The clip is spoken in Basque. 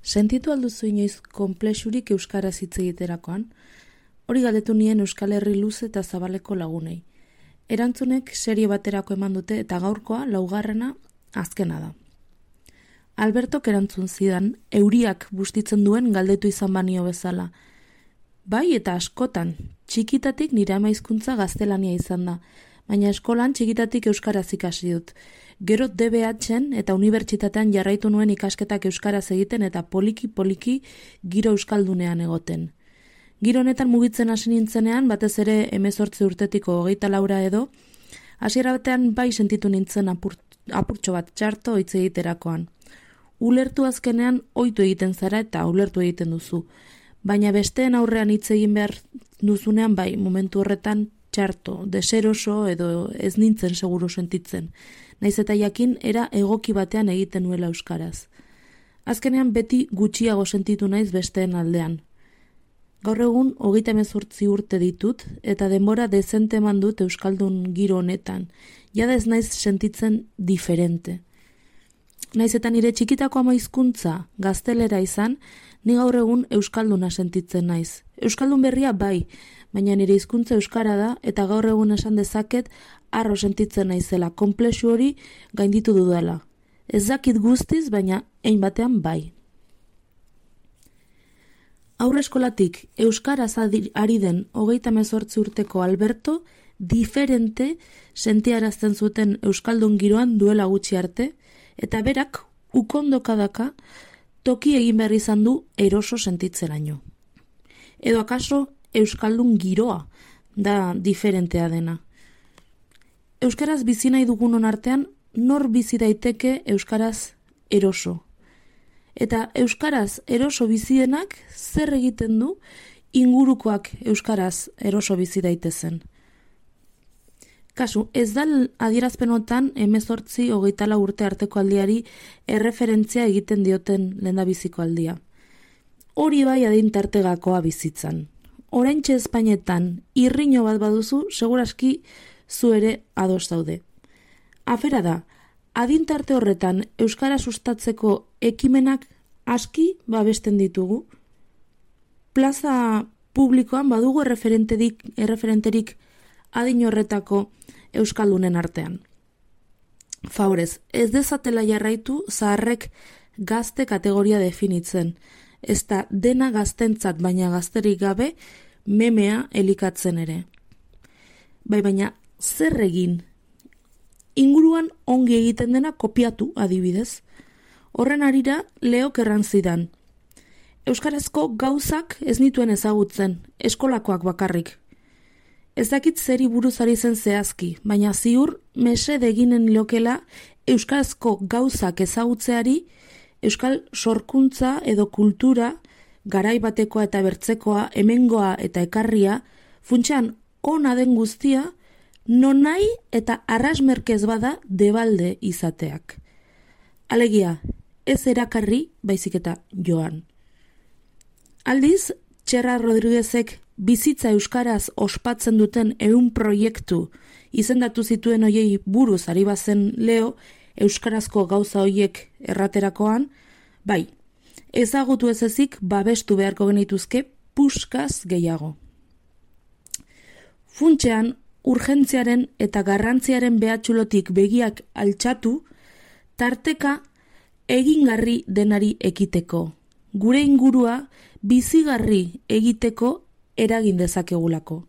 Sentitu alduzu inoiz konplexurik euskaraz hitz egiterakoan? Hori galdetu nien Euskal Herri luze eta zabaleko lagunei. Erantzunek serie baterako eman dute eta gaurkoa laugarrena azkena da. Albertok erantzun zidan, euriak bustitzen duen galdetu izan banio bezala. Bai eta askotan, txikitatik nire ama hizkuntza gaztelania izan da, baina eskolan txikitatik euskaraz ikasi dut. Gero DBH-en eta unibertsitatean jarraitu nuen ikasketak euskaraz egiten eta poliki-poliki giro euskaldunean egoten. Giro honetan mugitzen hasi nintzenean, batez ere 18 urtetiko 24 edo, hasiera batean bai sentitu nintzen apurtxo bat txarto hitz egiterakoan. Ulertu azkenean ohitu egiten zara eta ulertu egiten duzu, baina besteen aurrean hitz egin behar duzunean bai momentu horretan txarto, deseroso edo ez nintzen seguru sentitzen. Naiz eta jakin era egoki batean egiten nuela euskaraz. Azkenean beti gutxiago sentitu naiz besteen aldean. Gaur egun 38 urte ditut eta denbora dezente eman dut euskaldun giro honetan. Jada ez naiz sentitzen diferente. Naiz eta nire txikitako ama hizkuntza gaztelera izan, ni gaur egun euskalduna sentitzen naiz. Euskaldun berria bai, baina nire hizkuntza euskara da eta gaur egun esan dezaket harro sentitzen naizela, konplexu hori gainditu dudala. Ez dakit guztiz, baina hein batean bai. Aurreskolatik euskaraz ari den 38 urteko Alberto diferente sentiarazten zuten euskaldun giroan duela gutxi arte, eta berak ukondokadaka toki egin behar izan du eroso sentitzeraino. Edo akaso euskaldun giroa da diferentea dena. Euskaraz bizi nahi dugunon artean, nor bizi daiteke euskaraz eroso. Eta euskaraz eroso bizienak zer egiten du ingurukoak euskaraz eroso bizi daitezen. Kasu, ez da adierazpenotan 18-24 urte arteko aldiari erreferentzia egiten dioten lehendabiziko aldia. Hori bai adintartegakoa bizitzan. Oraintxe Espainetan irriño bat baduzu, seguraski zu ere ados daude. Afera da, adintarte horretan euskara sustatzeko ekimenak aski babesten ditugu. Plaza publikoan badugu erreferenterik adin horretako euskaldunen artean. Favorez, ez dezatela jarraitu zaharrek gazte kategoria definitzen, ez da dena gaztentzat baina gazterik gabe memea elikatzen ere. Baina zer egin? Inguruan ongi egiten dena kopiatu adibidez. Horren harira Leok erran zidan. Euskarazko gauzak ez nituen ezagutzen, eskolakoak bakarrik. Ez dakit zeri buruz ari zen zehazki, baina ziur mesede eginen lokela euskarazko gauzak ezagutzeari euskal sorkuntza edo kultura, garai batekoa eta bertzekoa, hemengoa eta ekarria, funtsean ona den guztia, nonai eta arrasmerkez bada debalde izateak. Alegia, ez erakarri, baizik eta joan. Aldiz, Txerra Rodriguezek bizitza euskaraz ospatzen duten 100 proiektu izendatu zituen hoiei buruz ari bazen Leo, euskarazko gauza hoiek erraterakoan, bai, ezagutu ez ezik babestu beharko genituzke puskaz gehiago. Funtsean, urgentziaren eta garrantziaren behatxulotik begiak altxatu, tarteka egingarri denari ekiteko, gure ingurua bizigarri egiteko eragin dezakegulako.